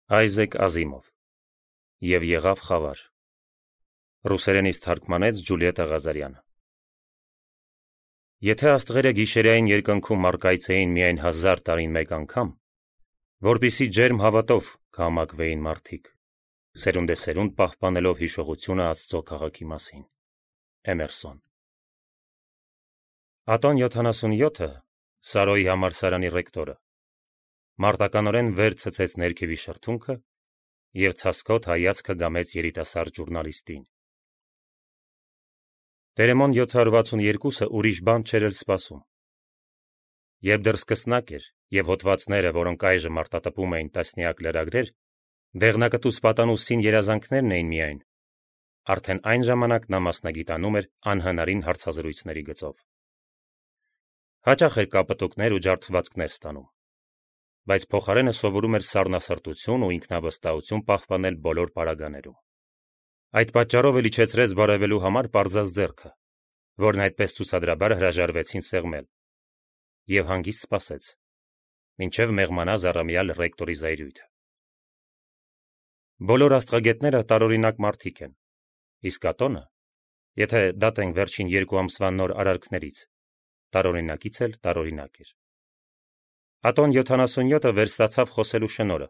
Այզեք Ազիմով Եվ եղավ խավար Ռուսերենից թարգմանեց Ջուլիետա Ղազարյանը Եթե աստղերը գիշերային երկնքում մարգայցեին միայն 1000 տարին մեկ անգամ, որպիսի ջերմ հավատով կհամակվեին մարդիկ, սերունդեսերունդ պահպանելով հիշողությունը Աստծո քաղաքի մասին։ Էմերսոն Ատոն 77-ը, Սարոյի համալսարանի ռեկտորը, մարտականորեն վեր ցցեց ներքևի շրթունքը և ցասկոտ հայացքը գամեց երիտասարդ ժուրնալիստին։ Տերեմոն 762-ը ուրիշ բան չէր էլ սպասում։ Երբ դեռ սկսնակ էր և հոդվածները, որոնք այժմ արտատպում էին տասնյակ լրագրեր, դեղնակտուց պատանուստին երազանքներն էին միայն, արդեն այն ժամանակ նա մասնագիտանում էր անհնարին հարցազրույցների գծով։ Հաճախ էր կապտուկներ ու ջարդվածքներ ստանում, բայց փոխարենը սովորում էր սառնասրտություն ու ինքնավստահություն պահպանել բոլոր պարագաներում։ Այդ պատճառով էլ իջեցրեց բարևելու համար պարզած ձեռքը, որն այդպես ցուցադրաբար հրաժարվեցին սեղմել, և հանգիստ սպասեց, մինչև մեղմանա զառամյալ ռեկտորի զայրույթը։ Բոլոր աստղագետները տարօրինակ մարդիկ են, իսկ Ատոնը, եթե դատենք վերջին 2 ամսվա նոր արարքներից, տարօրինակից էլ տարօրինակ էր։ Ատոն 77-ը վերստացավ խոսելու շնորհը,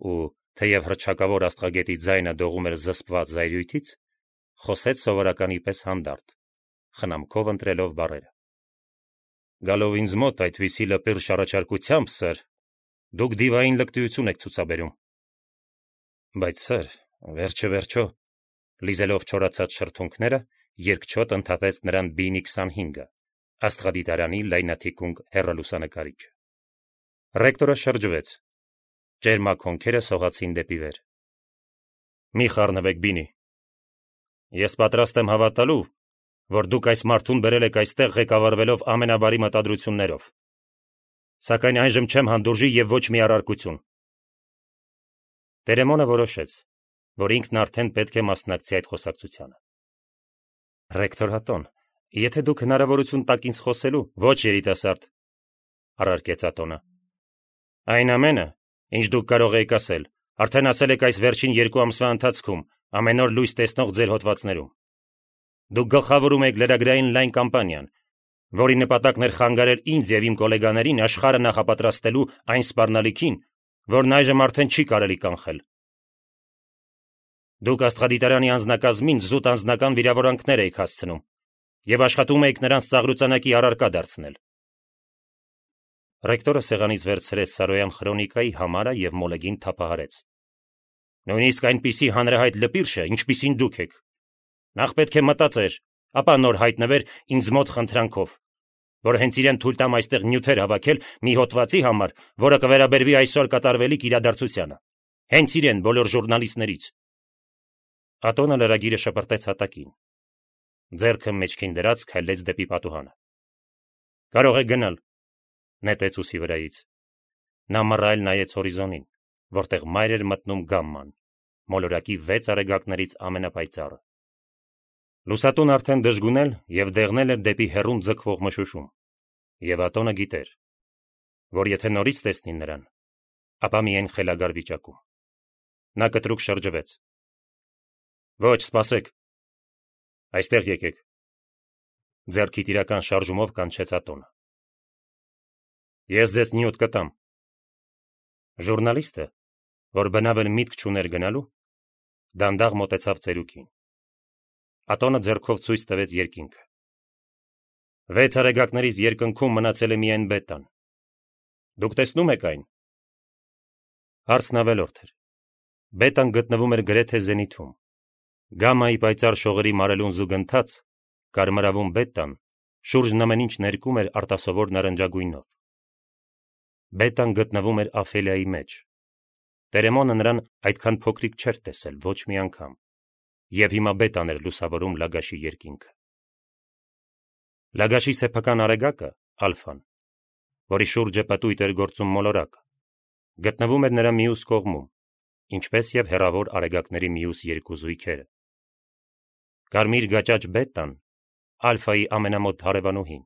ու թեև հռչակավոր աստղագետի ձայնը դողում էր զսպված զայրույթից, խոսեց սովորականի պես հանդարտ, խնամքով ընտրելով բառերը։ Գալով ինձ մոտ այդպիսի լպիրշ առաջարկությամբ, սըր, դուք դիվային լկտիություն եք ցուցաբերում։ Բայց սըր, վերջը, լիզելով չորացած շրթունքները, երկչոտ ընդհատեց նրան Բինի 25-ը, աստղադիտարանի լայնաթիկունք հեռալուսանկարիչը։ Ռեկտորը շրջվեց, ճերմակ հոնքերը սողացին դեպի վեր։ Մի խառնվեք, Բինի։ Ես պատրաստ եմ հավատալու, որ դուք այս մարդուն բերել եք այստեղ ղեկավարվելով ամենաբարի մտադրություններով։ Սակայն այժմ չեմ հանդուրժի և ոչ մի առարկություն։ Տերեմոնը որոշեց, որ ինքն արդեն պետք է մասնակցի այդ խոսակցությանը։ Ռեկտոր Ատոն, եթե դուք հնարավորություն տաք ինձ խոսելու, ոչ երիտասարդ, առարկեց Ատոնը։ Այն ամենը, ինչ դուք կարող եք ասել, արդեն ասել եք այս վերջին 2 ամսվա ընթացքում, ամեն օր լույս տեսնող ձեր հոդվածներում։ Դուք գլխավորում եք լրագրային լայն կամպանիան, որի նպատակն էր խանգարել ինձ և իմ գոլեգաներին աշխարհը նախապատրաստելու այն սպառնալիքին, որն այժմ արդեն չի կարելի կանխել։ Դուք աստղադիտարանի անձնակազմին զուտ անձնական վիրավորանքներ եք հասցնում և աշխատում եք նրանց ծաղրուծանակի առարկա դարձնել։ Ռեկտորը սեղանից վերցրեց Սարոյան խրոնիկայի համարը և մոլեգին թափահարեց։ Նույնիսկ այնպիսի հանրահայտ լպիրշը, ինչպիսին դուք եք։ Նախ պետք է մտածեր, ապա նոր հայտնվեր ինձ մոտ խնդրանքով, որ հենց իրեն թույլ տամ այստեղ նյութեր հավաքել մի հոդվածի համար, որը կվերաբերվի այսօր կատարվելիք իրադարձությանը։ Հենց իրեն բոլոր ժուրնալիստներից։ Ատոնը լրագիրը շպրտեց հատակին։ Ձեռքը մեջքին դրած քայլեց դեպի պատուհանը։ Կարող եք գնալ, նետեց ուսի վրայից։ Նա մռայլ նայեց հորիզոնին, որտեղ մայր էր մտնում գամման, մոլորակի 6 արեգակներից ամենապայծառը։ Լուսատուն արդեն դժգունել և դեղնել էր դեպի հեռուն ձգվող մշուշում, և Ատոնը գիտեր, որ եթե նորից տեսնի նրան, ապա միայն խելագար վիճակում։ Նա կտրուկ շրջվեց։ Ոչ, սպասեք։ Այստեղ եկեք։ Ձեռքի տիրական շարժումով կանչեց Ատոնը։ Ես ձեզ նյութ կտամ։ Ժուրնալիստը, որ բնավ էլ միտք չուներ գնալու, դանդաղ մոտեցավ ծերուկին։ Ատոնը ձեռքով ցույց տվեց երկինքը։ 6 արեգակներից երկնքում մնացել է միայն բետան։ Դուք տեսնում եք այն։ Հարցն ավելորդ էր։ Բետան գտնվում էր գրեթե զենիթում։ Գամմայի պայծառ շողերի մարելուն զուգընթաց, կարմրավուն բետան շուրջն ամեն ինչ ներկում էր արտասովոր նարնջագույնով։ Բետան գտնվում էր Աֆելիայի մեջ։ Տերեմոնը նրան այդքան փոքրիկ չէր տեսել ոչ մի անգամ, և հիմա բետան էր լուսավորում Լագաշի երկինքը։ Լագաշի սեփական արեգակը, ալֆան, որի շուրջը պտույտ էր գործում մոլորակը, գտնվում էր նրա մյուս կողմում, ինչպես և հեռավոր արեգակների մյուս 2 զույգերը։ Կարմիր գաճաճ բետան, ալֆայի ամենամոտ հարևանուհին,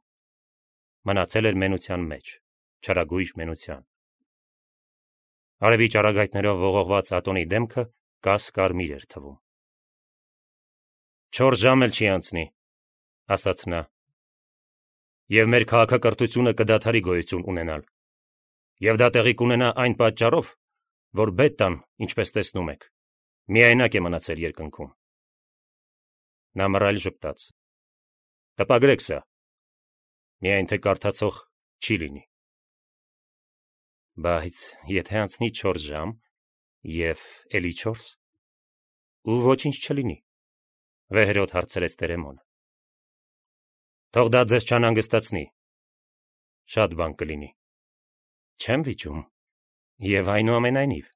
մնացել էր մենության մեջ, չարագույժ մենության։ Արևի ճառագայթներով ողողված Ատոնի դեմքը կաս կարմիր էր թվում։ 4 ժամ էլ չի անցնի, ասաց նա, եւ մեր քաղաքակրթությունը կդադարի գոյություն ունենալ, եւ դա տեղի կունենա այն պատճառով, որ Բետտան, ինչպես տեսնում եք, միայնակ է մնացել երկնքում։ Նա մռայլ ժպտաց։ Տպագրեք սա, միայն թե կարդացող չի լինի։ Բայց եթե անցնի 4 ժամ եւ էլի 4 ու ոչինչ չլինի, վեհերոտ հարցրեց Տերեմոնը։ Թող դա ձեզ չանհանգստացնի, շատ բան կլինի։ Չեմ վիճում, եւ այնուամենայնիվ,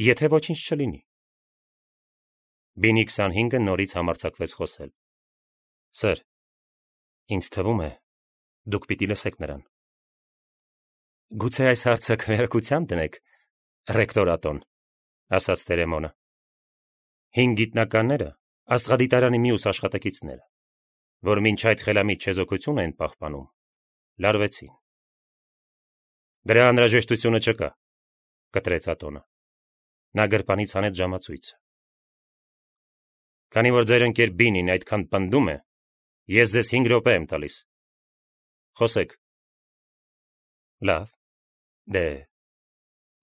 եթե ոչինչ չլինի։ Բինի 25-ը նորից համարձակվեց խոսել։ Սր, ինձ թվում է, դուք պիտի լսեք նրան։ Գուցե այս հարցը քվեարկության դնեք, ռեկտոր Ատոն, ասաց Տերեմոնը։ 5 գիտնականները, աստղադիտարանի մյուս աշխատակիցները, որ մինչ այդ խելամիտ չեզոքություն են պահպանում, լարվեցին։ Դրա անհրաժեշտությունը չկա, կտրեց Ատոնը։ Նա գրպանից հանեց ժամացույցը։ Քանի որ ձեր ընկեր Բինին այդքան պնդում է, ես ձեզ 5 րոպե եմ տալիս։ Խոսեք։ Լավ, դե,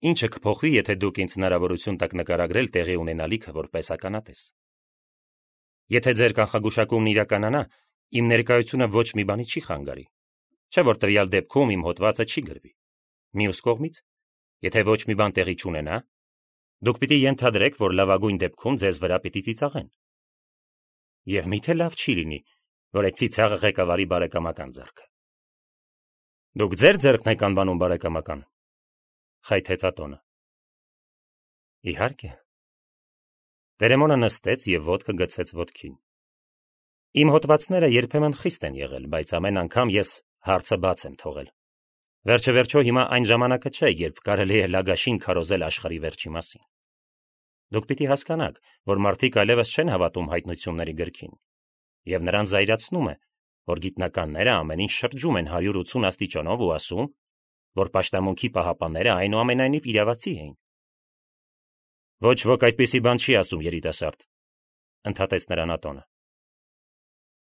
ինչը կփոխվի, եթե դուք ինձ հնարավորություն տաք նկարագրել տեղի ունենալիքը որպես ականատես։ Եթե ձեր կանխագուշակումն իրականանա, իմ ներկայությունը ոչ մի բանի չի խանգարի, չէ որ տվյալ դեպքում իմ հոդվածը չի գրվի։ Մյուս կողմից, եթե ոչ մի բան տեղի չունենա, դուք պիտի ենթադրեք, որ լավագույն դեպքում ձեզ վրա պիտի ծիծաղեն։ Եվ միթե լավ չի լինի, որ այդ ծիծաղը ղեկավարի բարեկամական ձեռքը։ Դուք ձեր ձեռքն եք անվանում բարեկամական, խայթեց Ատոնը։ Իհարկե։ Տերեմոնը նստեց եւ ոտքը գցեց ոտքին։ Իմ հոդվածները երբեմն խիստ են եղել, բայց ամեն անգամ ես հարցը բաց եմ թողել։ Վերջը հիմա այն ժամանակը չէ, երբ կարելի է լագաշին քարոզել աշխարհի վերջի մասին։ Դուք պիտի հասկանաք, որ մարդիկ այլևս չեն հավատում հայտնությունների գրքին, եւ նրանց զայրացնում է, որ գիտնականները ամեն ինչ շրջում են 180 աստիճանով ու ասում, որ պաշտամունքի պահապանները այնուամենայնիվ իրավացի էին։ Ոչ ոք այդպիսի բան չի ասում, երիտասարդ, ընդհատեց նրան Ատոնը։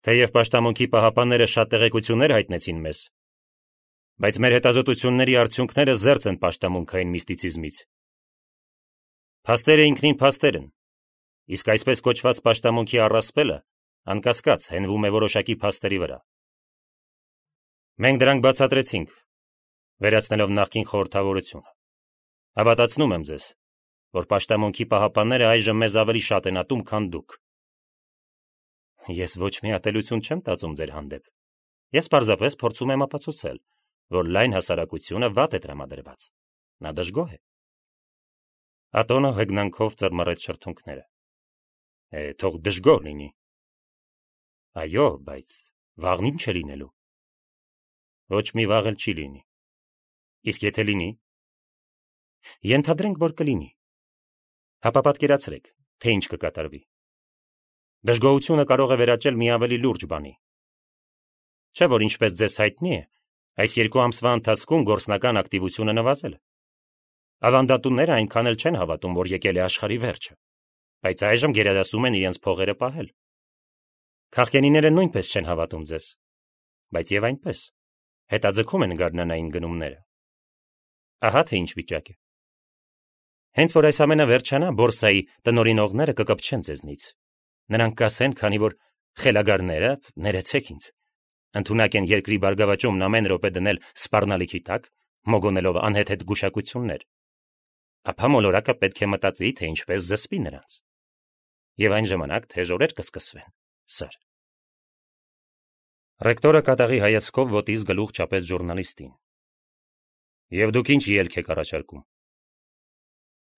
Թեև պաշտամունքի պահապանները շատ տեղեկություններ հայտնեցին մեզ, բայց մեր հետազոտությունների արդյունքները զերծ են պաշտամունքային միստիցիզմից։ Փաստերը ինքնին փաստեր են, իսկ այսպես կոչված պաշտամունքի առասպելը անկասկած հենվում է որոշակի փաստերի վրա։ Մենք դրանք բացատրեցինք, վերացնելով նախկին խորհրդավորությունը։ Հավատացնում եմ ձեզ, որ պաշտամունքի պահապանները այժմ մեզ ավելի շատ են ատում, քան դուք։ Ես ոչ մի ատելություն չեմ տածում ձեր հանդեպ։ Ես պարզապես փորձում եմ ապացուցել, որ լայն հասարակությունը վատ է տրամադրված։ Նա դժգոհ է։ Ատոնը հեգնանքով ծռմռեց շրթունքները։ Թող դժգոհ լինի։ Այո, բայց վաղն ինչ է լինելու։ Ոչ մի վաղ էլ չի լինի։ Իսկ եթե լինի։ Ենթադրենք, որ կլինի։ Հապա պատկերացրեք, թե ինչ կկատարվի։ Դժգոհությունը կարող է վերաճել մի ավելի լուրջ բանի։ Չէ՞ որ ինչպես ձեզ հայտնի է, այս 2 ամսվա ընթացքում գործնական ակտիվությունը նվազել է։ Ավանդատունները այնքան էլ չեն հավատում, որ եկել է աշխարհի վերջը, բայց այժմ գերադասում են իրենց փողերը պահել։ Քաղքենիները նույնպես չեն հավատում ձեզ, բայց եւ այնպես հետաձգում են գարնանային գնումները։ Ահա թե ինչ վիճակ է։ Հենց որ այս ամենը վերջանա, բորսայի տնօրինողները կկպչեն ձեզնից։ Նրանք կասեն, քանի որ խելագարները, ներեցեք ինձ, ընդունակ են երկրի բարգավաճումն ամեն րոպե դնել սպառնալիքի տակ, մոգոնելով անհեթեթ գուշակություններ, ապա մոլորակը պետք է մտածի, թե ինչպես զսպի նրանց։ Եվ այն ժամանակ թեժ օրեր կսկսվեն, սր։ Ռեկտորը կատաղի հայացքով ոտից գլուխ չափեց ժուրնալիստին։ Եվ դուք ինչ ելք եք առաջարկում։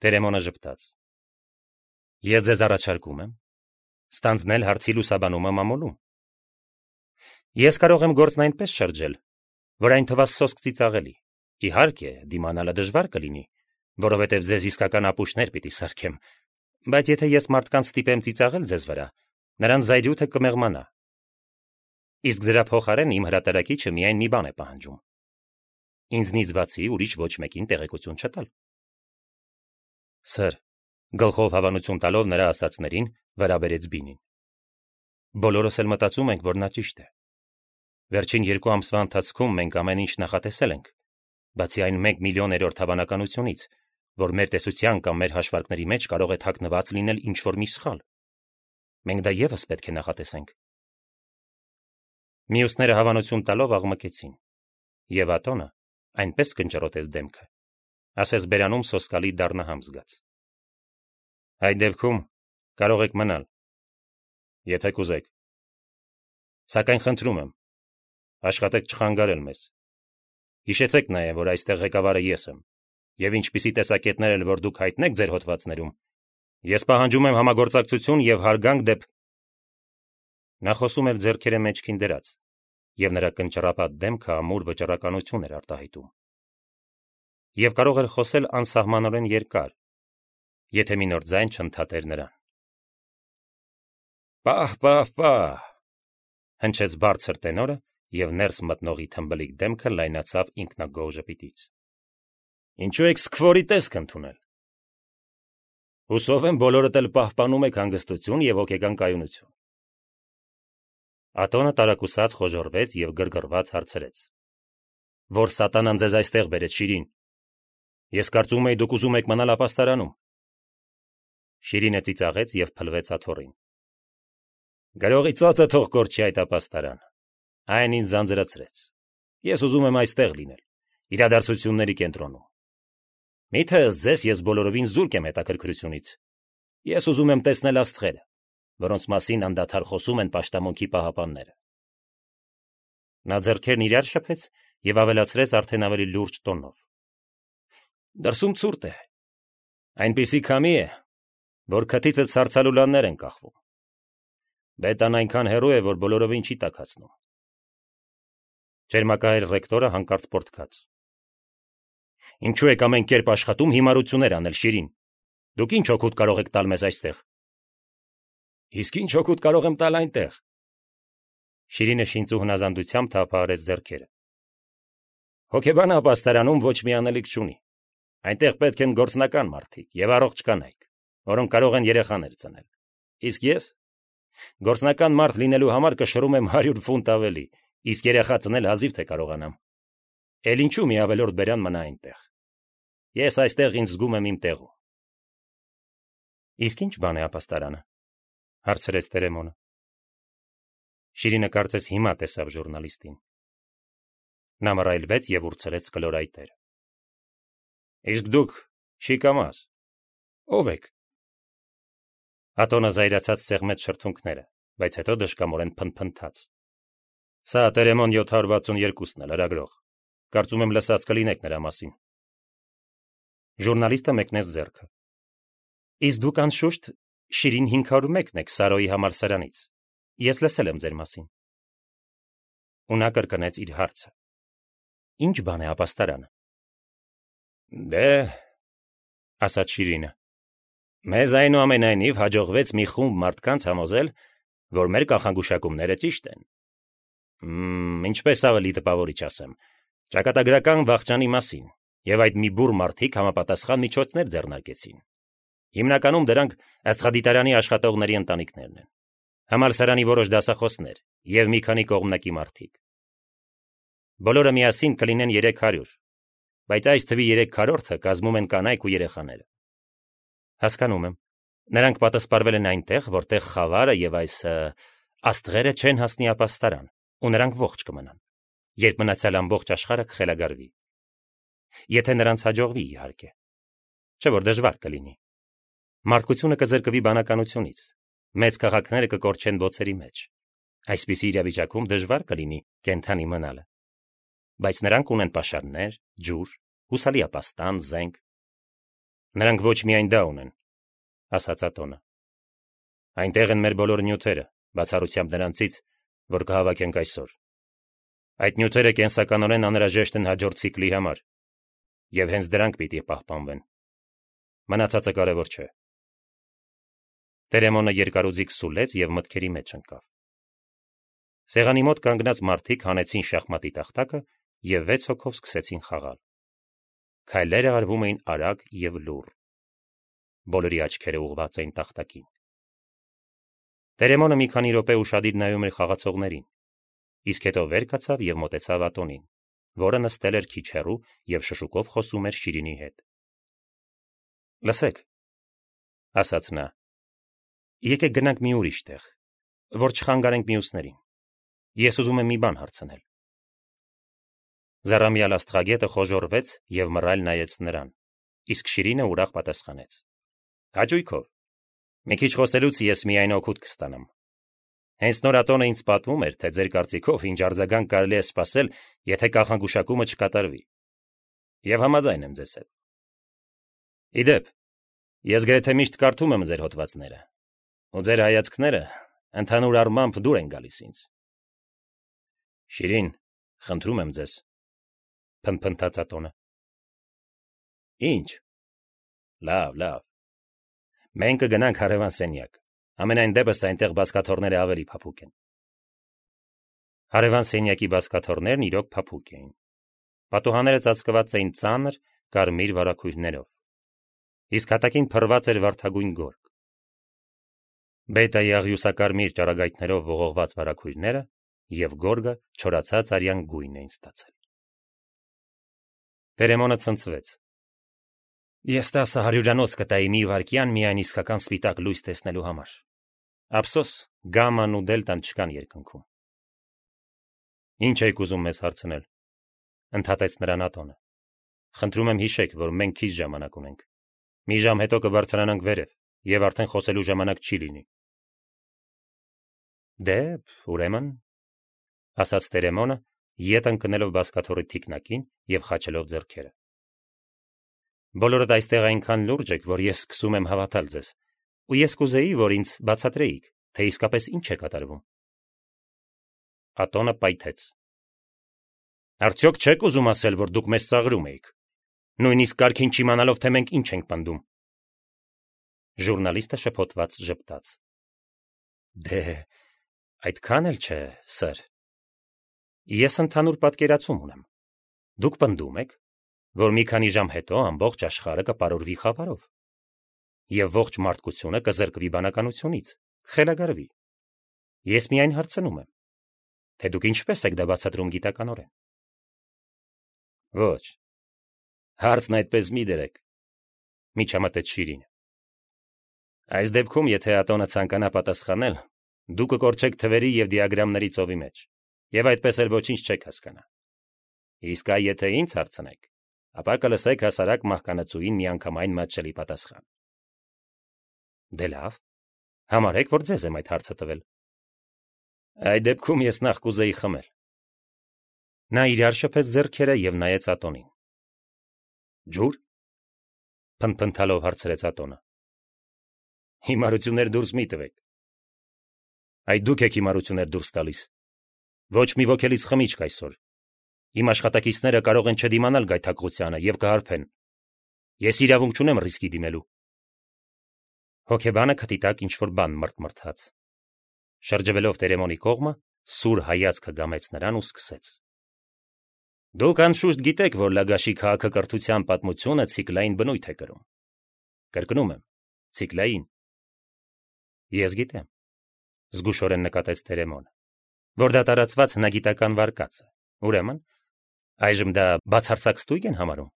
Տերեմոնը ժպտաց։ Ես ձեզ առաջարկում եմ ստանձնել հարցի լուսաբանումը մամուլում։ Ես կարող եմ գործն այնպես շրջել, որ այն թվա սոսկ ծիծաղելի։ Իհարկե, դիմանալը դժվար կլինի, որովհետև ձեզ իսկական ապուշներ պիտի սարքեմ, բայց եթե ես մարդկանց ստիպեմ ծիծաղել ձեզ վրա, նրանց զայրույթը կմեղմանա։ Իսկ դրա փոխարեն իմ հրատարակիչը միայն մի բան է պահանջում. ինձնից բացի ուրիշ ոչ մեկին տեղեկություն չտալ։ Սր, գլխով հավանություն տալով նրա ասածներին, վերաբերեց Բինին։ Բոլորս էլ մտածում ենք, որ նա ճիշտ է։ Վերջին 2 ամսվա ընթացքում մենք ամեն ինչ նախատեսել ենք, բացի այն 1 միլիոներորդ հավանականությունից, որ մեր տեսության կամ մեր հաշվարկների մեջ կարող է թաքնված լինել ինչ-որ մի սխալ։ Մենք դա ևս պետք է նախատեսենք։ Մյուսները հավանություն տալով աղմկեցին, եւ Ատոնը այնպես կնճռոտեց դեմքը, ասես բերանում սոսկալի դառնահամ զգաց։ Այդ դեպքում կարող եք մնալ, եթե կուզեք։ Սակայն խնդրում եմ, աշխատեք չխանգարել մեզ։ Հիշեցեք նաև, որ այստեղ ղեկավարը ես եմ, եւ ինչպիսի տեսակետներ էլ որ դուք հայտնեք ձեր հոդվածներում, ես պահանջում եմ համագործակցություն եւ հարգանք դեպ։ Նա խոսում էր ձեռքերը մեջքին դրած, եւ նրա կնճռապատ դեմքը ամուր վճռականություն էր արտահայտում։ Եվ կարող էր խոսել անսահմանորեն երկար, եթե մի նոր ձայն չընդհատեր նրան։ Պահ, հնչեց բարձր տենորը, եւ ներս մտնողի թմբլիկ դեմքը լայնացավ ինքնագոհ ժպիտից։ Ինչու եք սկվորի տեսք ընդունել։ Հուսով եմ բոլորդ էլ պահպանում եք հանգստություն եւ հոգեկան կայունություն։ Ատոնը տարակուսած խոժոռվեց եւ գրգռված հարցրեց. Որ սատանան ձեզ այստեղ բերեց, Շիրին։ Ես կարծում էի դուք ուզում եք մնալ ապաստարանում։ Շիրինը ծիծաղեց եւ փլվեց աթոռին։ Գրողի ծոցը թող կորչի այդ ապաստարան։ Այն ինձ զանձրացրեց։ Ես ուզում եմ այստեղ լինել, իրադարձությունների կենտրոնում։ Միթե ձեզ ես բոլորովին զուրկ եմ հետաքրքրությունից։ Ես ուզում եմ տեսնել աստղերը, որոնց մասին անդադար խոսում են պաշտամունքի պահապանները։ Նա ձեռքերն իրար շփեց եւ ավելացրեց արդեն ավելի լուրջ տոնով. Դրսում ցուրտ է։ Այնպիսի քամի է, որ քթիցը ցարցալուլաններ են կախվում։ Բետան այնքան հեռու է, որ բոլորովին չի տաքացնում։ Ջերմակայր ռեկտորը հանկարծ պորտքաց։ Ինչու եք ամեն կերպ աշխատում հիմարություններ անել, Շիրին։ Դուք ինչ օգուտ կարող եք տալ մեզ այստեղ։ Իսկ ինչ օգուտ կարող եմ տալ այնտեղ։ Շիրինը շինծու հնազանդությամբ թափահարեց ձեռքերը։ Հոգեբանը ապաստարանում ոչ մի անելիք չունի։ Այնտեղ պետք են գործնական մարդիկ եւ առողջ կանայք, որոնք կարող են երեխաներ ծնել։ Իսկ ես գործնական մարդ լինելու համար կշռում եմ 100 ֆունտ ավելի, իսկ երեխա ծնել հազիվ թե կարողանամ։ Էլ ինչու մի ավելորդ բերան մնա այնտեղ։ Ես այստեղ ինձ զգում եմ իմ տեղում։ Իսկ ինչ բան է ապաստարանը, հարցրեց Տերեմոնը։ Շիրինը կարծես հիմա տեսավ ժուրնալիստին։ Նա մռայլվեց եւ ուրցրեց կլորայտերը։ Իսկ դուք շիկամաս ով եք։ Ատոնը զայրացած սեղմեց շրթունքները, բայց հետո դժկամորեն փնփնթաց։ Սա Տերեմոն 762-ն է, լրագրող։ Կարծում եմ լսած կլինեք նրա մասին։ Ժուրնալիստը մեկնեց ձեռքը։ Իսկ դուք անշուշտ Շիրին 501-ն եք Սարոյի համալսարանից։ Ես լսել եմ ձեր մասին։ Ու նա կրկնեց իր հարցը. Ինչ բան է ապաստարանը։ Դե, ասաց Շիրինը, մեզ այնուամենայնիվ հաջողվեց մի խումբ մարդկանց համոզել, որ մեր կանխագուշակումները ճիշտ են։ Ինչպես ավելի տպավորիչ ասեմ, ճակատագրական վախճանի մասին, եւ այդ մի բուռ մարդիկ համապատասխան միջոցներ ձեռնարկեցին։ Հիմնականում դրանք աստղադիտարանի աշխատողների ընտանիքներն են, համալսարանի որոշ դասախոսներ եւ մի քանի կողմնակի մարդիկ։ Բոլորը միասին կլինեն 300, բայց այս թվի 3/4-ը կազմում են կանայք ու երեխաները։ Հասկանում եմ, նրանք պատասպարվել են այնտեղ, որտեղ խավարը եւ այս աստղերը չեն հասնի ապաստարան, ու նրանք ողջ կմնան, երբ մնացյալ ամբողջ աշխարհը կխելագարվի։ Եթե նրանց հաջողվի, իհարկե, չէ՞ որ դժվար կլինի։ Մարդկությունը կզրկվի բանականությունից, մեծ քաղաքները կկորչեն ոցերի մեջ։ Այսպիսի իրավիճակում դժվար կլինի կենթանի մնալը։ Բայց նրանք ունեն պաշարներ, ջուր, հուսալի ապաստան, զենք։ Նրանք ոչ միայն դա ունեն, ասաց Ատոնը։ Այնտեղ են մեր բոլոր նյութերը, բացառությամբ նրանցից, որ կհավաքենք այսօր։ Այդ նյութերը կենսականորեն անհրաժեշտ են հաջորդ ցիկլի համար, եւ հենց դրանք պիտի պահպանվեն։ Մնացածը կարևոր չէ։ Տերեմոնը երկարուձիգ սուլեց եւ մտքերի մեջ ընկավ։ Սեղանի մոտ կանգնած մարդիկ հանեցին շախմատի տախտակը եւ 6 հոգով սկսեցին խաղալ։ Քայլերը արվում էին արագ եւ լուռ։ Բոլորի աչքերը ուղղված էին տախտակին։ Տերեմոնը մի քանի րոպե ուշադիր նայում էր խաղացողներին, իսկ հետո վեր կացավ եւ մոտեցավ Ատոնին, որը նստել էր քիչ հեռու եւ շշուկով խոսում էր Շիրինի հետ։ «Լսեք», ասաց նա, «եկեք գնանք մի ուրիշ տեղ, որ չխանգարենք մյուսներին։ Ես ուզում եմ մի բան հարցնել»։ Զառամյալ աստղագետը խոժոռվեց եւ մռայլ նայեց նրան, իսկ Շիրինը ուրախ պատասխանեց. «Հաճույքով։ Մի քիչ խոսելուց ես միայն օգուտ կստանամ։ Հենց նոր Ատոնը ինձ պատմում էր, թե ձեր կարծիքով ինչ արձագանք կարելի է սպասել, եթե կանխագուշակումը չկատարվի։ Եվ համաձայն եմ ձեզ հետ։ Իդեպ, ես գրեթե միշտ կարդում եմ ձեր հոդվածները, ու ձեր հայացքները ընդհանուր առմամբ դուր են գալիս ինձ»։ «Շիրին, խնդրում եմ ձեզ», փնթփնթաց Ատոնը։ «Ինչ»։ Լավ։ Մենք կգնանք հարևան սենյակ։ Ամենայն դեպս այնտեղ բազկաթոռները ավելի փափուկ են։ Հարևան սենյակի բազկաթոռներն իրոք փափուկ էին։ Պատուհանները ծածկված էին ծանր կարմիր վարագույրներով, իսկ հատակին փռված էր վարդագույն գորգ։ Բետայի աղյուսակարմիր ճառագայթներով ողողված վարագույրները եւ գորգը չորացած արյան գույն էին ստացել։ Տերեմոնը ցնցվեց։ Ես 10 հարյուրանոց կտայի մի վայրկյան միայն իսկական սպիտակ լույս տեսնելու համար։ Ափսոս, գաման ու դելտան չկան երկնքում։ Ինչ եք ուզում մեզ հարցնել, ընդհատեց նրան Ատոնը։ Խնդրում եմ հիշեք, որ մենք քիչ ժամանակ ունենք։ Մի ժամ հետո կբարձրանանք վերև, եւ արդեն խոսելու ժամանակ չի լինի։ Դե, ուրեմն, ասաց Տերեմոնը, ետ ընկնելով բազկաթոռի թիկնակին եւ խաչելով ձեռքերը։ Բոլորդ այստեղ այնքան լուրջ եք, որ ես սկսում եմ հավատալ ձեզ, ու ես կուզեի, որ ինձ բացատրեիք, թե իսկապես ինչ է կատարվում։ Ատոնը պայթեց։ Արդյոք չեք ուզում ասել, որ դուք մեզ ծաղրում էիք, նույնիսկ կարգին չիմանալով, թե մենք ինչ ենք պնդում։ Ժուրնալիստը շփոթված ժպտաց։ Դե, այդքան էլ չէ, սըր։ Ես ընդհանուր պատկերացում ունեմ։ Դուք պնդում եք, որ մի քանի ժամ հետո ամբողջ աշխարհը կպարուրվի խավարով, եւ ողջ մարդկությունը կզրկվի բանականությունից, կխելագարվի։ Ես միայն հարցնում եմ, թե դուք ինչպես եք դա բացատրում գիտականորեն։ Ոչ, հարցն այդպես մի դրեք, միջամտեց Շիրինը։ Այս դեպքում, եթե Ատոնը ցանկանա պատասխանել, դուք կկորչեք թվերի եւ դիագրամների ծովի մեջ, եւ այդպես էլ ոչինչ չեք հասկանա։ Իսկ այ եթե ինձ հարցնեք, ապա կլսեք հասարակ մահկանացուին միանգամայն մատչելի պատասխան։ Դե լավ, համարեք, որ ձեզ եմ այդ հարցը տվել։ Այդ դեպքում ես նախ կուզեի խմել։ Նա իրար շփեց ձեռքերը եւ նայեց Ատոնին։ Ջուր։ Փնթփնթալով հարցրեց Ատոնը։ Հիմարություններ դուրս մի տվեք։ Այդ դուք եք հիմարություններ դուրս տալիս։ Ոչ մի ոգելից խմիչք այսօր։ Իմ աշխատակիցները կարող են չդիմանալ գայթակղությանը եւ կհարբեն։ Ես իրավունք չունեմ ռիսկի դիմելու։ Հոկեբանը քթիտակ ինչ-որ բան մրթմրթաց։ Շրջվելով Տերեմոնի կողմը, սուր հայացքը գամեց նրան ու սկսեց. Դուք անշուշտ գիտեք, որ Լագաշի քաղաքակրթության պատմությունը ցիկլային բնույթ է կրում։ Կրկնում եմ, ցիկլային։ Ես գիտեմ, զգուշորեն նկատեց Տերեմոնը, որ դա տարածված հնագիտական վարկած է։ Ուրեմն, այժմ դա բացարձակ ստույգ են համարում։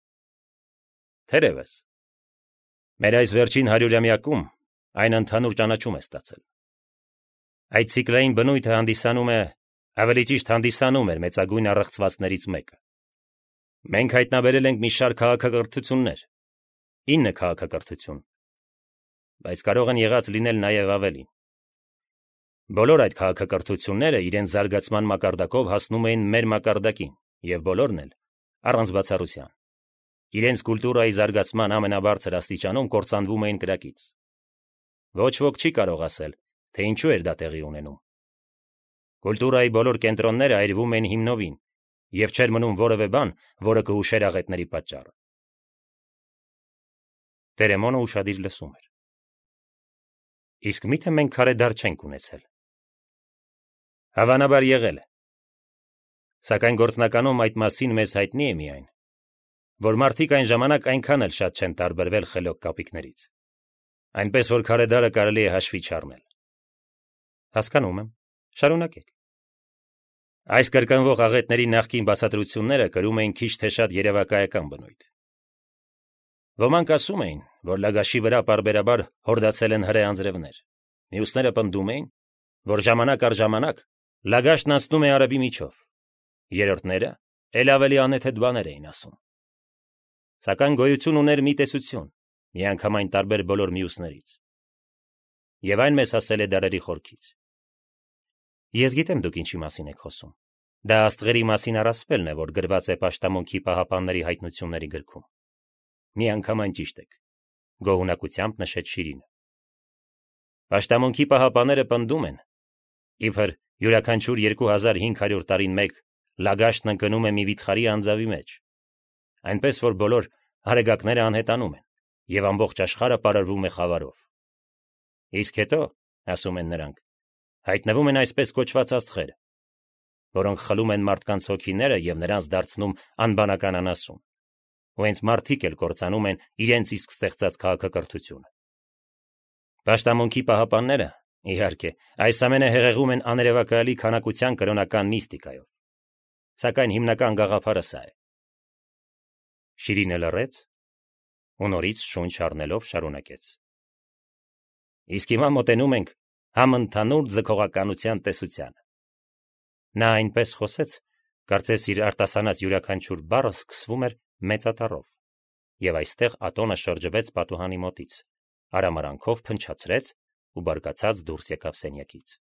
Թերևս։ Մեր այս վերջին 100-ամյակում այն ընդհանուր ճանաչում է ստացել։ Այդ ցիկլային բնույթը հանդիսանում է, ավելի ճիշտ հանդիսանում էր մեծագույն առեղծվածներից մեկը։ Մենք հայտնաբերել ենք մի շարք քաղաքակրթություններ, 9 քաղաքակրթություն, բայց կարող են եղած լինել նաև ավելին։ Բոլոր այդ քաղաքակրթությունները իրենց զարգացման մակարդակով հասնում էին մեր մակարդակին, եւ բոլորն էլ, առանց բացառության, իրենց կուլտուրայի զարգացման ամենաբարձր աստիճանում կործանվում էին կրակից։ Ոչ ոք չի կարող ասել, թե ինչու էր դա տեղի ունենում։ Կուլտուրայի բոլոր կենտրոնները այրվում էին հիմնովին, եւ չէր մնում որևէ բան, որը կհուշեր աղետների պատճառը։ Տերեմոնը ուշադիր լսում էր։ Իսկ միթե մենք քարեդար չենք ունեցել։ Հավանաբար եղել է։ Սակայն գործնականում այդ մասին մեզ հայտնի է միայն, որ մարդիկ այն ժամանակ այնքան էլ շատ չեն տարբերվել խելոք կապիկներից։ Այնպես որ քարեդարը կարելի է հաշվի չառնել։ Հասկանում եմ, շարունակեք։ Այս կրկնվող աղետների նախկին բացատրությունները կրում էին քիչ թե շատ երևակայական բնույթ։ Ոմանք ասում էին, որ Լագաշի վրա պարբերաբար հորդացել են հրե անձրևներ։ Մյուսները պնդում էին, որ ժամանակ առ ժամանակ Լագաշն անցնում է արևի միջով։ Երրորդները էլ ավելի անեթեթ բաներ էին ասում։ Սակայն գոյություն ուներ մի տեսություն, միանգամայն տարբեր բոլոր մյուսներից։ Եվ այն մեզ հասել է դարերի խորքից։ Ես գիտեմ դուք ինչի մասին եք խոսում։ Դա աստղերի մասին առասպելն է, որ գրված է Պաշտամոնքի պահապանների հայտնությունների գրքում։ Միանգամայն ճիշտ եք, գոհունակությամբ նշեց Շիրինը։ Պաշտամոնքի պահապանները պնդում են, իբր յուրաքանչյուր 2500 տարին մեկ Լագաշն ընկնում է մի վիթխարի անձավի մեջ, այնպես որ բոլոր հարեգակները անհետանում են, եւ ամբողջ աշխարհը պարարվում է խավարով։ Իսկ հետո, ասում են նրանք, հայտնվում են այսպես կոչված աստղեր, որոնք խլում են մարդկանց հոգիները եւ նրանց դարձնում անբանական անասուն, ու հենց մարդիկ էլ կործանում են իրենց իսկ ստեղծած քաղաքակրթությունը։ Պաշտամոնքի պահապանները, իհարկե, այս ամենը հեղեղում են աներևակայալի քանակության կրոնական միստիկայով, սակայն հիմնական գաղափարը սա է։ Շիրինը լռեց ու նորից շունչ առնելով շարունակեց. Իսկ հիմա մոտենում ենք համընդհանուր ձգողականության տեսությանը։ Նա այնպես խոսեց, կարծես իր արտասանած յուրաքանչյուր բառը սկսվում էր մեծատառով, եւ այստեղ Ատոնը շրջվեց պատուհանի մոտից, արամարանքով փնչացրեց ու բարկացած դուրս եկավ սենյակից։